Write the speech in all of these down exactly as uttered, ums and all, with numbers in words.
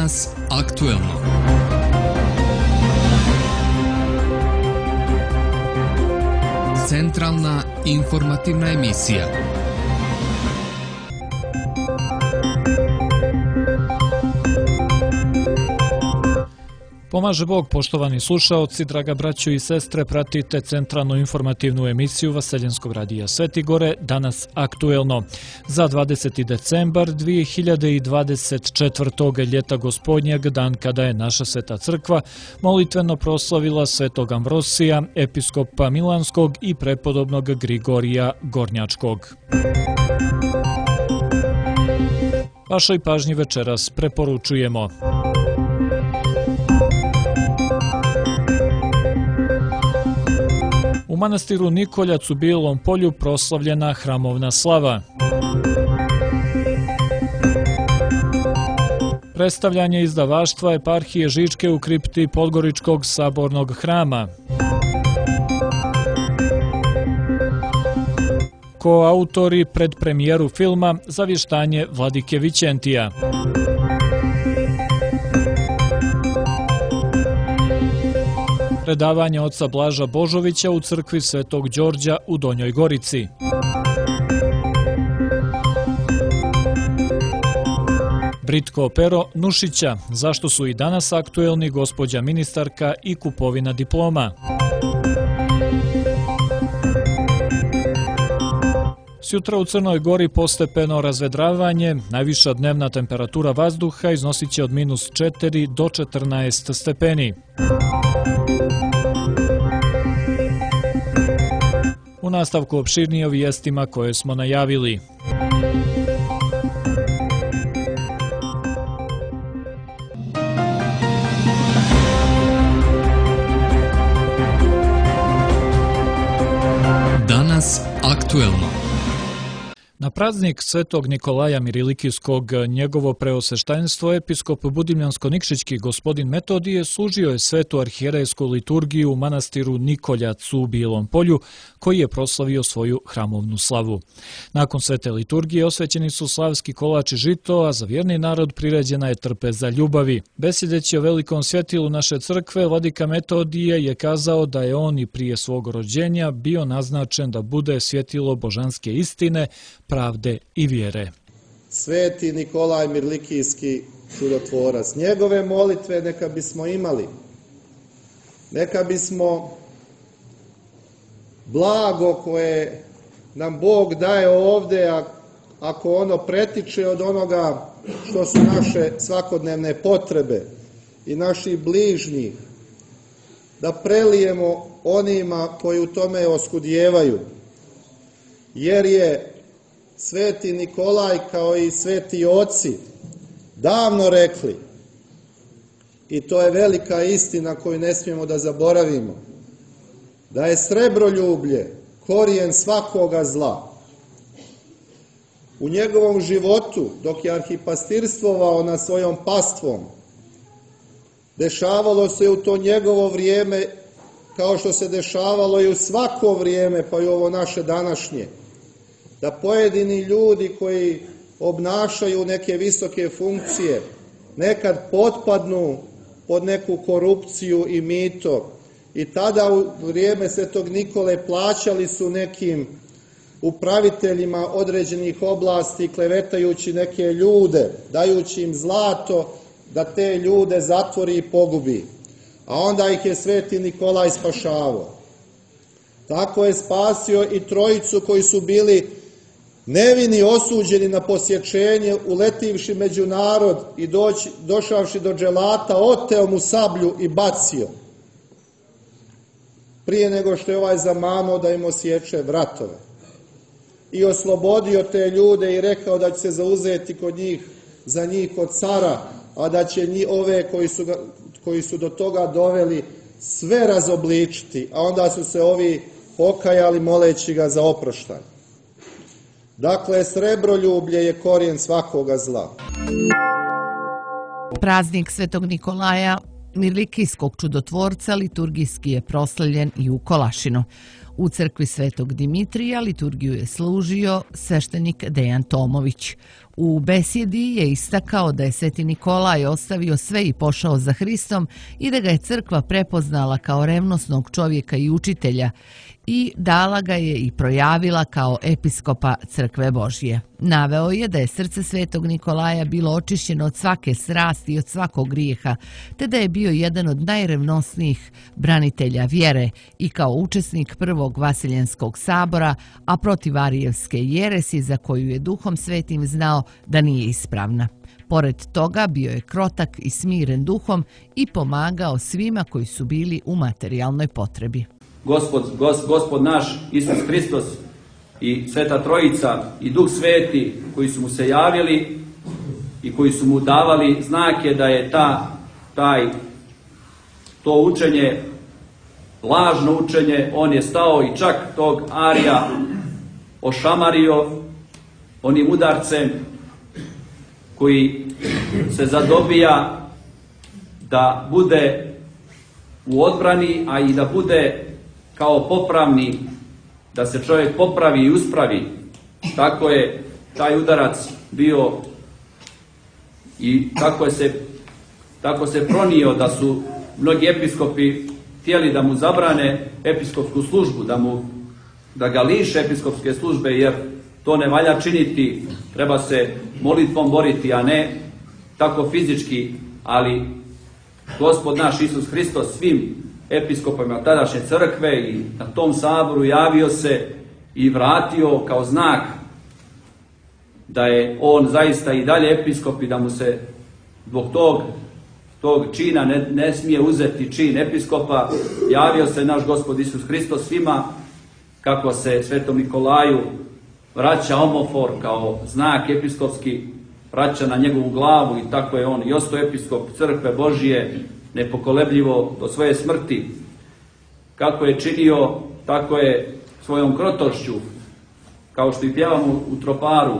Danas aktuelno. Centralna informativna emisija. Pomaže Bog, poštovani slušaoci, draga braćo i sestre, pratite centralnu informativnu emisiju Vaseljenskog radija Sveti Gore, danas aktuelno. Za dvadeseti decembar dvije hiljade dvadeset četvrtog ljeta gospodnjeg, dan kada je naša Sveta Crkva molitveno proslavila Svetog Ambrosija, episkopa Milanskog i prepodobnog Grigorija Gornjačkog. Vašoj pažnji večeras preporučujemo: u manastiru Nikoljac u Bijelom Polju proslavljena hramovna slava. Predstavljanje izdavaštva eparhije Žičke u kripti Podgoričkog sabornog hrama. Koautori predpremijeru filma Zavještanje Vladike Vićentija. Predavanje oca Blaža Božovića u crkvi Svetog Đorđa u Donjoj Gorici. Britko pero Nušića, zašto su i danas aktuelni gospođa ministarka i kupovina diploma. Sjutra u Crnoj Gori postepeno razvedravanje, najviša dnevna temperatura vazduha iznosit će od minus četiri do četrnaest stepeni. U nastavku opširnije o vijestima koje smo najavili. Danas aktuelno. Na praznik Svetog Nikolaja Mirilikijskog, njegovo preosveštenstvo episkop Budimljansko-Nikšićki gospodin Metodije služio je svetu arhijerejsku liturgiju u manastiru Nikoljac u Bijelom Polju, koji je proslavio svoju hramovnu slavu. Nakon svete liturgije osvećeni su slavski kolač i žito, a za vjerni narod priređena je trpeza ljubavi. Besjedeći o velikom svjetilu naše crkve, vladika Metodije je kazao da je on i prije svog rođenja bio naznačen da bude svjetilo božanske istine, pravde i vjere. Sveti Nikolaj Mirlikijski čudotvorac, njegove molitve neka bismo imali, neka bismo blago koje nam Bog daje ovdje, a ako ono pretiče od onoga što su naše svakodnevne potrebe i naših bližnjih, da prelijemo onima koji u tome oskudijevaju, jer je Sveti Nikolaj kao i sveti oci davno rekli, i to je velika istina koju ne smijemo da zaboravimo, da je srebroljublje korijen svakoga zla. U njegovom životu, dok je arhipastirstvovao nad svojom pastvom, dešavalo se u to njegovo vrijeme kao što se dešavalo i u svako vrijeme, pa i ovo naše današnje, da pojedini ljudi koji obnašaju neke visoke funkcije nekad potpadnu pod neku korupciju i mito, i tada u vrijeme Svetog Nikole plaćali su nekim upraviteljima određenih oblasti klevetajući neke ljude, dajući im zlato da te ljude zatvori i pogubi, a onda ih je Sveti Nikolaj spašavao. Tako je spasio i trojicu koji su bili nevini, osuđeni na posječenje, uletivši među narod i doći, došavši do dželata, oteo mu sablju i bacio, prije nego što je ovaj zamano da im osječe vratove. I oslobodio te ljude i rekao da će se zauzeti kod njih, za njih kod cara, a da će njih, ove koji su, ga, koji su do toga doveli, sve razobličiti, a onda su se ovi pokajali moleći ga za oproštaj. Dakle, srebroljublje je korijen svakoga zla. Praznik Svetog Nikolaja Mirlikijskog čudotvorca liturgijski je proslavljen i u Kolašinu. U crkvi Svetog Dimitrija liturgiju je služio sveštenik Dejan Tomović. U besjedi je istakao da je Sveti Nikolaj ostavio sve i pošao za Hristom i da ga je crkva prepoznala kao revnosnog čovjeka i učitelja i dala ga je i projavila kao episkopa Crkve Božje. Naveo je da je srce Svetog Nikolaja bilo očišćeno od svake strasti i od svakog grijeha, te da je bio jedan od najrevnosnijih branitelja vjere i kao učesnik prvog Vasiljenskog sabora, a protiv arijevske jeresi za koju je Duhom Svetim znao da nije ispravna. Pored toga bio je krotak i smiren duhom i pomagao svima koji su bili u materijalnoj potrebi. Gospod, gos, gospod naš Isus Hristos i Sveta Trojica i Duh Sveti koji su mu se javili i koji su mu davali znake da je ta, taj, to učenje, lažno učenje, on je stao i čak tog Arija ošamario onim udarcem koji se zadobija da bude u odbrani, a i da bude kao popravni, da se čovjek popravi i uspravi. Tako je taj udarac bio i tako je se, tako se pronio da su mnogi episkopi htjeli da mu zabrane episkopsku službu, da, mu, da ga liše episkopske službe, jer to ne valja činiti, treba se molitvom boriti, a ne tako fizički, ali Gospod naš Isus Hristos svim episkopima tadašnje crkve i na tom saboru javio se i vratio kao znak da je on zaista i dalje episkop i da mu se zbog tog, tog čina ne, ne smije uzeti čin episkopa. Javio se naš Gospod Isus Hristos svima kako se Svetom Nikolaju vraća omofor kao znak episkopski, vraća na njegovu glavu i tako je on i ostao episkop Crkve Božije nepokolebljivo do svoje smrti. Kako je činio, tako je svojom krotošću, kao što i pjevamo u troparu,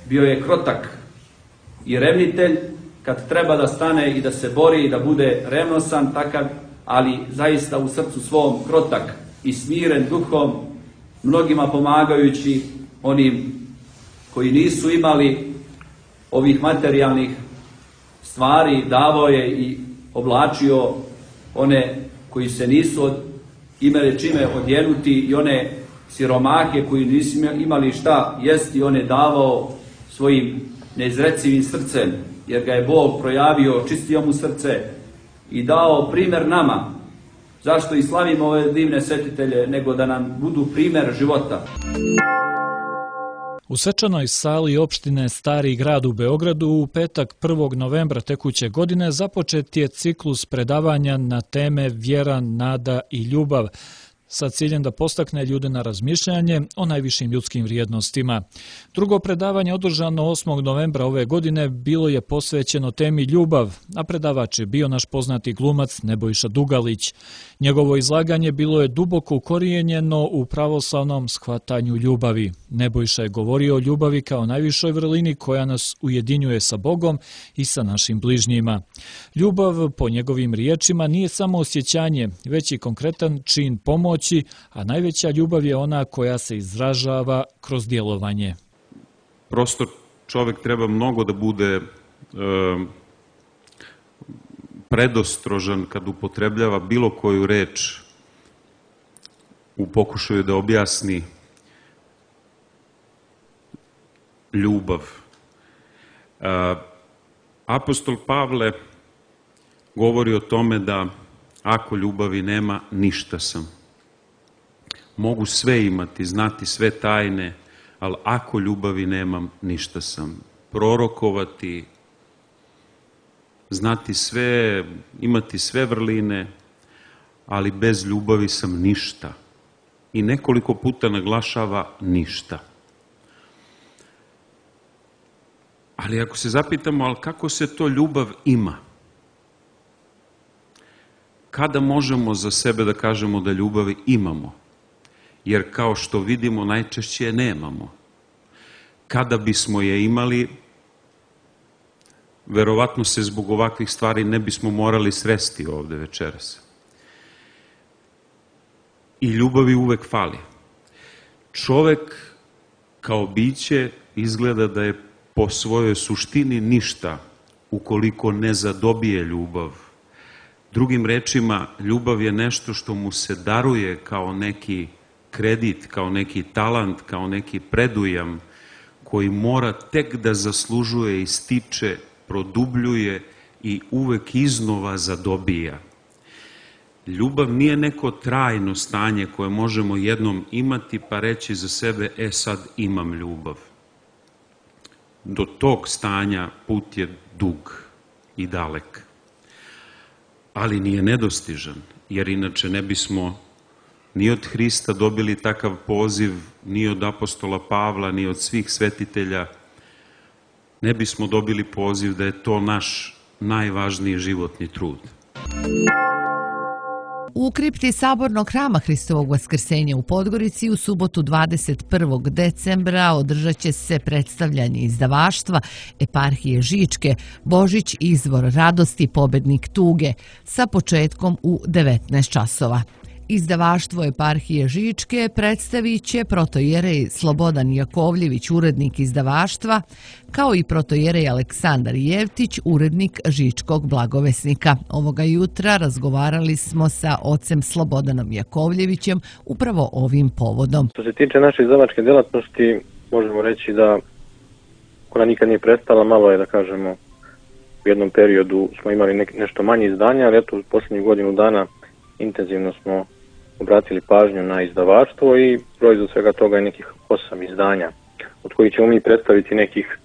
bio je krotak i revnitelj kad treba da stane i da se bori i da bude revnosan takav, ali zaista u srcu svom krotak i smiren duhom, mnogima pomagajući onim koji nisu imali ovih materijalnih stvari, davao je i oblačio one koji se nisu od, imali čime odjenuti i one siromahe koji nisu imali šta jesti, on je davao svojim neizrecivim srcem, jer ga je Bog projavio, čistio mu srce i dao primjer nama. Zašto i slavimo ove divne svetitelje, nego da nam budu primjer života. U svečanoj sali opštine Stari grad u Beogradu u petak prvog novembra tekuće godine započet je ciklus predavanja na teme vjera, nada i ljubav, sa ciljem da postakne ljude na razmišljanje o najvišim ljudskim vrijednostima. Drugo predavanje održano osmog novembra ove godine bilo je posvećeno temi ljubav, a predavač je bio naš poznati glumac Nebojša Dugalić. Njegovo izlaganje bilo je duboko ukorijenjeno u pravoslavnom shvatanju ljubavi. Nebojša je govorio o ljubavi kao najvišoj vrlini koja nas ujedinjuje sa Bogom i sa našim bližnjima. Ljubav, po njegovim riječima, nije samo osjećanje, već i konkretan čin pomoći, a najveća ljubav je ona koja se izražava kroz djelovanje. Prosto čovjek treba mnogo da bude e, predostrožan kad upotrebljava bilo koju reč u pokušaju da objasni ljubav. E, apostol Pavle govori o tome da ako ljubavi nema, ništa sam. Mogu sve imati, znati sve tajne, ali ako ljubavi nemam, ništa sam. Prorokovati, znati sve, imati sve vrline, ali bez ljubavi sam ništa. I nekoliko puta naglašava ništa. Ali ako se zapitamo, ali kako se to ljubav ima? Kada možemo za sebe da kažemo da ljubavi imamo? Jer kao što vidimo, najčešće je nemamo. Kada bismo je imali, verovatno se zbog ovakvih stvari ne bismo morali sresti ovde večeras. I ljubavi uvek fali. Čovek kao biće izgleda da je po svojoj suštini ništa ukoliko ne zadobije ljubav. Drugim rečima, ljubav je nešto što mu se daruje kao neki kredit, kao neki talant, kao neki predujam koji mora tek da zaslužuje i stiče, produbljuje i uvek iznova zadobija. Ljubav nije neko trajno stanje koje možemo jednom imati pa reći za sebe, e sad imam ljubav. Do tog stanja put je dug i dalek, ali nije nedostižan, jer inače ne bismo ni od Hrista dobili takav poziv, ni od apostola Pavla, ni od svih svetitelja, ne bismo dobili poziv da je to naš najvažniji životni trud. U kripti Sabornog hrama Hristovog vaskrsenja u Podgorici u subotu dvadeset prvog decembra održat će se predstavljanje izdavaštva Eparhije Žičke Božić izvor radosti, pobednik tuge sa početkom u devetnaest časova. Izdavaštvo Eparhije Žičke predstavit će protojerej Slobodan Jakovljević, urednik izdavaštva, kao i protojerej Aleksandar Jevtić, urednik Žičkog blagovesnika. Ovoga jutra razgovarali smo sa ocem Slobodanom Jakovljevićem upravo ovim povodom. Što se tiče naše izdavačke djelatnosti, možemo reći da ona nikad nije prestala, malo je da kažemo u jednom periodu smo imali nek, nešto manje izdanja, ali eto u posljednjih godinu dana intenzivno smo obratili pažnju na izdavaštvo i proizvod svega toga je nekih osam izdanja, od kojih ćemo mi predstaviti nekih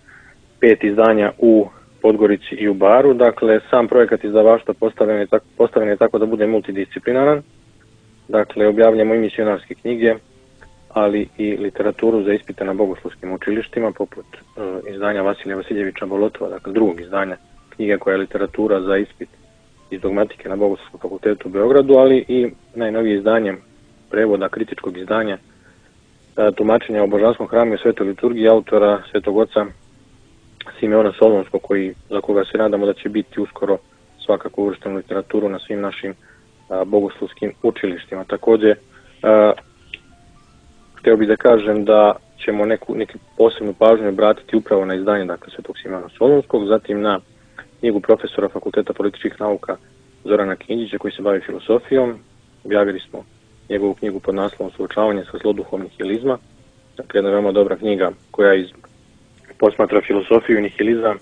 pet izdanja u Podgorici i u Baru. Dakle, sam projekat izdavaštva postavljen je tako, postavljen je tako da bude multidisciplinaran. Dakle, objavljamo i misionarske knjige, ali i literaturu za ispite na bogoslovskim učilištima, poput uh, izdanja Vasilija Vasiljevića Bolotova, dakle drugog izdanja knjige koja je literatura za ispit iz dogmatike na Bogoslovskom fakultetu u Beogradu, ali i najnovije izdanje prevoda, kritičkog izdanja tumačenja o Božanskom hramu i svetoj liturgiji autora svetog oca Simeona Solunskog, koji, za koga se nadamo da će biti uskoro svakako uvršten u literaturu na svim našim a, bogoslovskim učilištima. Takođe, a, hteo bih da kažem da ćemo neku, neku posebnu pažnju obratiti upravo na izdanje dakle, svetog Simeona Solunskog, zatim na knjigu profesora Fakulteta političkih nauka Zorana Kinđića koji se bavi filosofijom. Objavili smo njegovu knjigu pod naslovom Suočavanje sa zloduhom nihilizma. Dakle, jedna veoma dobra knjiga koja iz, posmatra filosofiju i nihilizam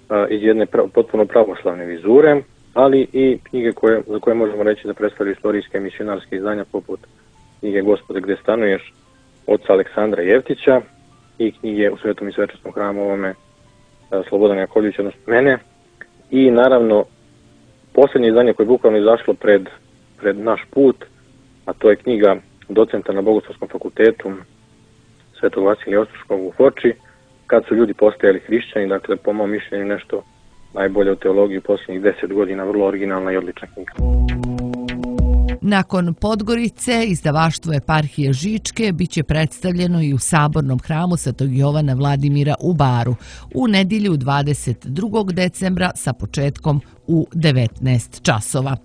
a, iz jedne pra, potpuno pravoslavne vizure, ali i knjige koje, za koje možemo reći da predstavljaju istorijske misionarske izdanja poput knjige Gospode gde stanuješ oca Aleksandra Jevtića i knjige U svetom i svečanskom hramu ovome a, Slobodana Jakovljevića, odnosno mene. I naravno, posljednje izdanje koje je bukvalno izašlo pred, pred naš put, a to je knjiga docenta na Bogoslovskom fakultetu Svetog Vasilija Ostroškog u Foči, Kad su ljudi postajali hrišćani, dakle po mom mišljenju nešto najbolje u teologiji u posljednjih deset godina, vrlo originalna i odlična knjiga. Nakon Podgorice, izdavaštvo Eparhije Žičke biće predstavljeno i u Sabornom hramu Svetog Jovana Vladimira u Baru u nedjelju dvadeset drugog decembra sa početkom u devetnaest časova.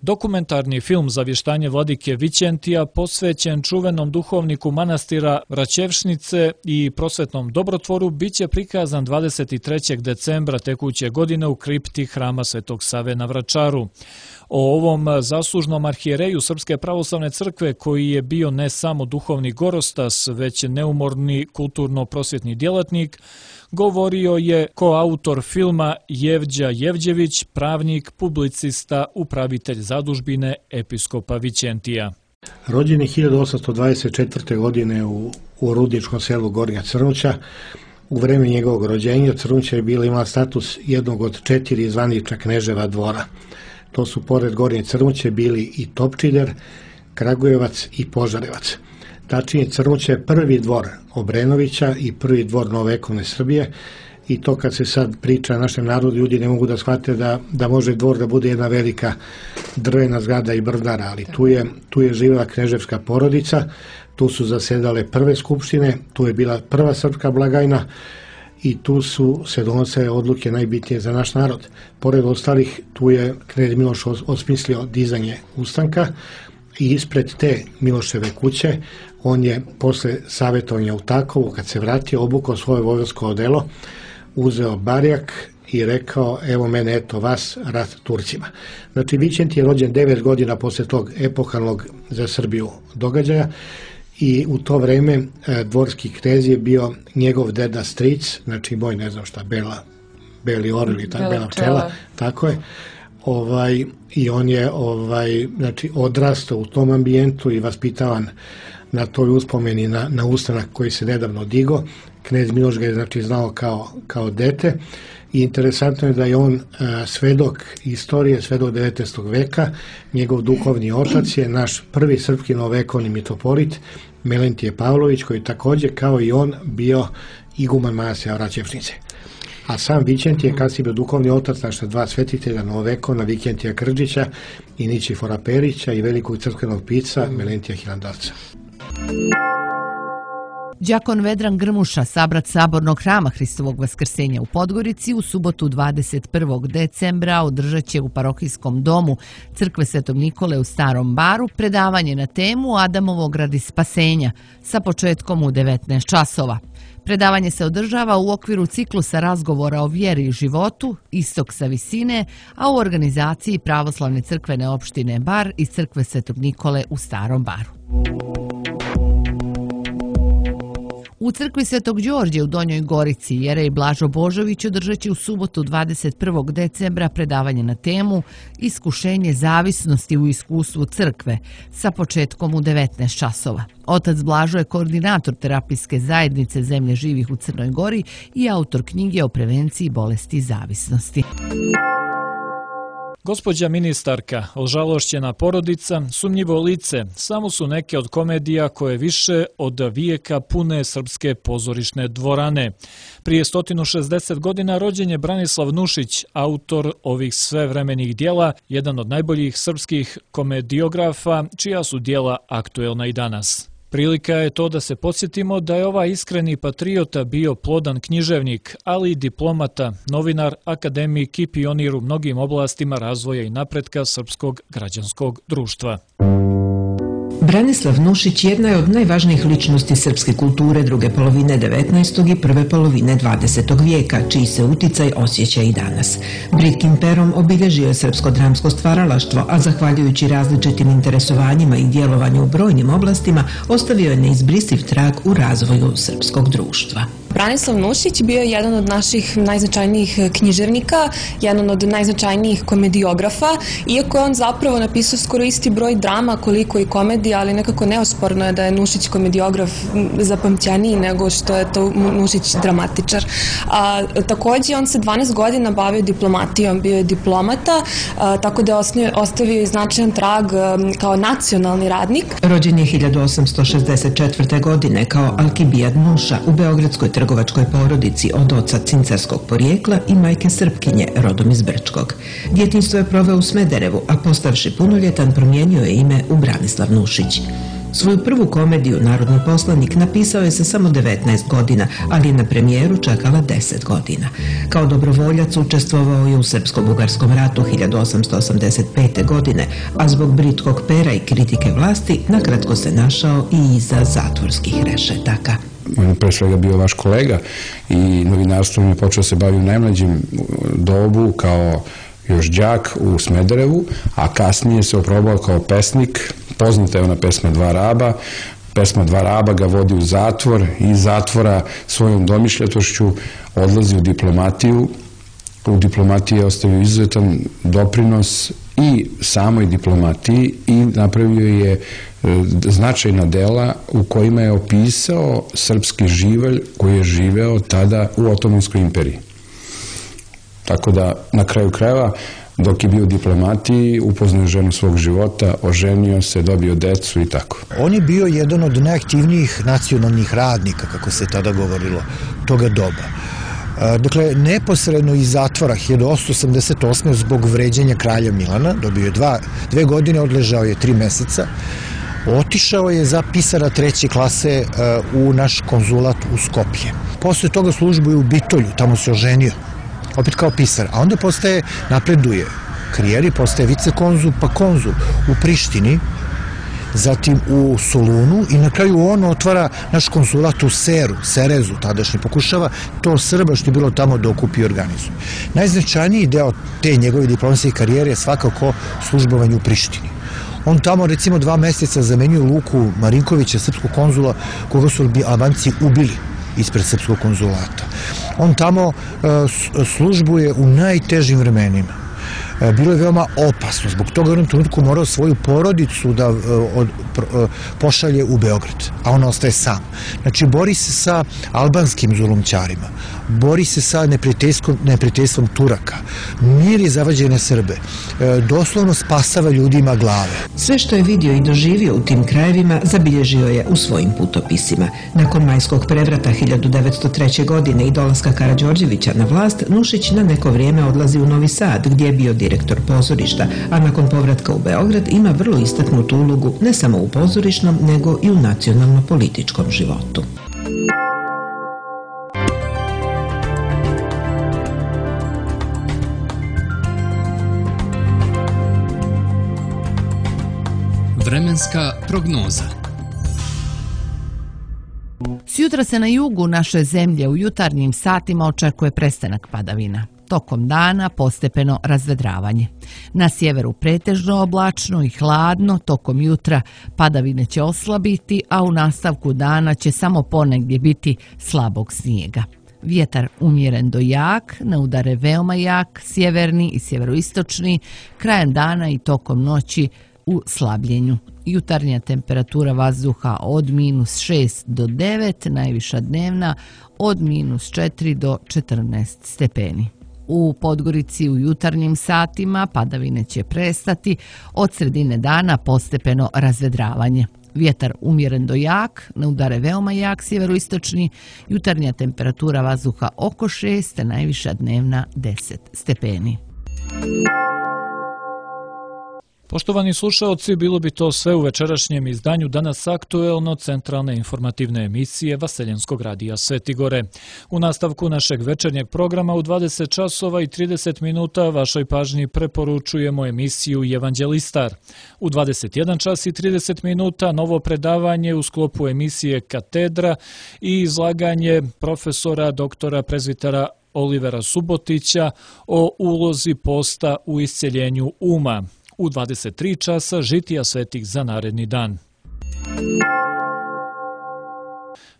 Dokumentarni film Zavještanje vladike Vićentija posvećen čuvenom duhovniku manastira Raćevšnice i prosvetnom dobrotvoru biće prikazan dvadeset trećeg decembra tekuće godine u kripti hrama Svetog Save na Vračaru. O ovom zaslužnom arhijereju Srpske pravoslavne crkve, koji je bio ne samo duhovni gorostas, već neumorni kulturno-prosvjetni djelatnik, govorio je koautor filma Jevđa Jevđević, pravnik, publicista, upravitelj zadužbine episkopa Vićentija. Rođen je hiljadu osamsto dvadeset četvrte. godine u, u rudničkom selu Gornja Crnuća. U vreme njegovog rođenja Crnuća je bila imala status jednog od četiri zvanična kneževa dvora. To su pored Gornje Crnuće bili i Topčider, Kragujevac i Požarevac. Tačnije, Crnuća je prvi dvor Obrenovića i prvi dvor novovekovne Srbije, i to kad se sad priča našem narodu, ljudi ne mogu da shvate da, da može dvor da bude jedna velika drvena zgrada i brvnara, ali tu je, tu je živjela kneževska porodica, tu su zasedale prve skupštine, tu je bila prva srpska blagajna i tu su se donosile odluke najbitnije za naš narod. Pored ostalih, tu je knez Miloš osmislio dizanje ustanka i ispred te Miloševe kuće on je posle savjetovanja u Takovu, kad se vratio, obukao svoje vojvodsko odelo, uzeo barjak i rekao, evo mene, eto vas, rat Turcima. Znači, Vičent je rođen devet godina posle tog epohalnog za Srbiju događaja i u to vreme e, dvorski knez je bio njegov deda stric, znači moj, ne znam šta, Bela, Beli orel i ta Bela pčela, tako je. Ovaj, i on je ovaj, znači, odrastao u tom ambijentu i vaspitavan na toj uspomeni na, na ustanak koji se nedavno digo. Knez Miloš ga je, znači, znao kao, kao dete i interesantno je da je on a, svedok istorije, svedok devetnaestog veka. Njegov duhovni otac je naš prvi srpski novovekovni mitropolit Melentije Pavlović, koji također kao i on bio iguman manastira Oraćevčnice. A sam Vičent je kasnije bio duhovni otac naša dva svetitelja novovekovna, Vikentija Krđića i Ničifora Perića i velikog crkvenog pisca Melentija Hilandarca. Đakon Vedran Grmuša, sabrat Sabornog hrama Hristovog vaskrsenja u Podgorici, u subotu dvadeset prvog decembra održat će u parohijskom domu crkve Svetog Nikole u Starom Baru predavanje na temu Adamovog radi spasenja sa početkom u devetnaest časova. Predavanje se održava u okviru ciklusa razgovora o vjeri i životu, Istok sa visine, a u organizaciji Pravoslavne crkvene opštine Bar i crkve Svetog Nikole u Starom Baru. U crkvi Svetog Đorđe u Donjoj Gorici jerej Blažo Božović održat će u subotu dvadeset prvog decembra predavanje na temu Iskušenje zavisnosti u iskustvu crkve sa početkom u devetnaest časova. Otac Blažo je koordinator terapijske zajednice Zemlje živih u Crnoj Gori i autor knjige o prevenciji bolesti zavisnosti. Gospođa ministarka, ožalošćena porodica, sumnjivo lice, samo su neke od komedija koje više od vijeka pune srpske pozorišne dvorane. Prije sto šezdeset godina rođen je Branislav Nušić, autor ovih svevremenih dijela, jedan od najboljih srpskih komediografa, čija su dijela aktuelna i danas. Prilika je to da se podsjetimo da je ovaj iskreni patriota bio plodan književnik, ali i diplomata, novinar, akademik i pionir u mnogim oblastima razvoja i napretka srpskog građanskog društva. Branislav Nušić jedna je od najvažnijih ličnosti srpske kulture druge polovine devetnaestog i prve polovine dvadesetog vijeka, čiji se uticaj osjeća i danas. Britkim perom obilježio je srpsko dramsko stvaralaštvo, a zahvaljujući različitim interesovanjima i djelovanju u brojnim oblastima, ostavio je neizbrisiv trag u razvoju srpskog društva. Branislav Nušić bio je jedan od naših najznačajnijih književnika, jedan od najznačajnijih komediografa, iako je on zapravo napisao skoro isti broj drama koliko i komedija, ali nekako neosporno je da je Nušić komediograf zapamćeniji nego što je to Nušić dramatičar. A, također on se dvanaest godina bavio diplomatijom, bio je diplomata, a, tako da je ostavio i značajan trag a, kao nacionalni radnik. Rođen je hiljadu osamsto šezdeset četvrte. godine kao Alkibijad Nuša u beogradskoj trgovačkoj porodici od oca cincarskog porijekla i majke Srpkinje, rodom iz Brčkog. Djetinjstvo je proveo u Smederevu, a postavši punoljetan promijenio je ime u Branislav Nušić. Svoju prvu komediju Narodni poslanik napisao je sa samo devetnaest godina, ali je na premijeru čekala deset godina. Kao dobrovoljac učestvovao je u Srpsko-bugarskom ratu hiljadu osamsto osamdeset pete. godine, a zbog britkog pera i kritike vlasti nakratko se našao i iza zatvorskih rešetaka. On je pre svega bio vaš kolega i novinarstvom je počeo se baviti u najmlađem dobu kao još đak u Smederevu, a kasnije se oprobao kao pesnik. Poznata je ona pesma Dva raba. Pesma Dva raba ga vodi u zatvor i iz zatvora svojom domišljatošću odlazi u diplomatiju. U diplomatiji je ostavio izuzetan doprinos i samoj diplomatiji i napravio je značajna dela u kojima je opisao srpski živalj koji je živeo tada u Otomanskoj imperiji. Tako da, na kraju krajeva, dok je bio u diplomatiji, upoznao ženu svog života, oženio se, dobio decu i tako. On je bio jedan od najaktivnijih nacionalnih radnika, kako se tada govorilo, toga doba. Dakle, neposredno iz zatvora hiljadu osamsto osamdeset osme. zbog vređanja kralja Milana, dobio je dva, dve godine, odležao je tri meseca, otišao je za pisara treće klase u naš konzulat u Skopje. Posle toga službuje u Bitolju, tamo se oženio, opet kao pisar, a onda postaje, napreduje karijeri, postaje vicekonzul, pa konzul u Prištini zatim u Solunu i na kraju on otvara naš konzulat u Seru, Serezu tadašnji, pokušava to Srba što je bilo tamo da okupi i organizuje. Najznačajniji deo te njegove diplomatske karijere je svakako službovanje u Prištini. On tamo recimo dva meseca zamenjuje Luku Marinkovića, srpskog konzula, koga su Albanci ubili ispred srpskog konzulata. On tamo službuje u najtežim vremenima. Bilo je veoma opasno, zbog toga u jednom trenutku morao svoju porodicu da pošalje u Beograd, a on ostaje sam. Znači, bori se sa albanskim zulumčarima, bori se sa neprijateljstvom Turaka, miri zavađene Srbe, doslovno spasava ljudima glave. Sve što je vidio i doživio u tim krajevima zabilježio je u svojim putopisima. Nakon majskog prevrata hiljadu devetsto treće. godine i dolaska Karađorđevića na vlast, Nušić na neko vrijeme odlazi u Novi Sad, gdje je bio direktor pozorišta, a nakon povratka u Beograd ima vrlo istaknutu ulogu ne samo u pozorišnom, nego i u nacionalno-političkom životu. Vremenska prognoza. Sjutra se na jugu naše zemlje u jutarnjim satima očekuje prestanak padavina. Tokom dana postepeno razvedravanje. Na sjeveru pretežno oblačno i hladno, tokom jutra padavine će oslabiti, a u nastavku dana će samo ponegdje biti slabog snijega. Vjetar umjeren do jak, na udare veoma jak, sjeverni i sjeveroistočni, krajem dana i tokom noći u slabljenju. Jutarnja temperatura vazduha od minus šest do devet, najviša dnevna od minus četiri do četrnaest stepeni. U Podgorici u jutarnjim satima padavine će prestati, od sredine dana postepeno razvedravanje. Vjetar umjeren do jak, na udare veoma jak sjeveroistočni, jutarnja temperatura vazduha oko šest, najviša dnevna deset stepeni. Poštovani slušaoci, bilo bi to sve u večerašnjem izdanju Danas aktuelno centralne informativne emisije Vaseljenskog radija Svetigore. U nastavku našeg večernjeg programa u dvadeset časova i trideset minuta vašoj pažnji preporučujemo emisiju Evanđelistar. U dvadeset jedan čas i trideset minuta novo predavanje u sklopu emisije Katedra i izlaganje profesora doktora prezbitera Olivera Subotića o ulozi posta u isceljenju uma. U dvadeset tri časa žitija svetih za naredni dan.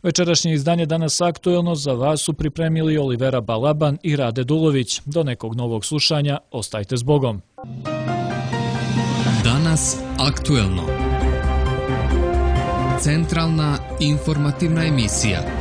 Večerašnje izdanje Danas aktuelno za vas su pripremili Olivera Balaban i Rade Dulović. Do nekog novog slušanja, ostajte s Bogom. Danas aktuelno. Centralna informativna emisija.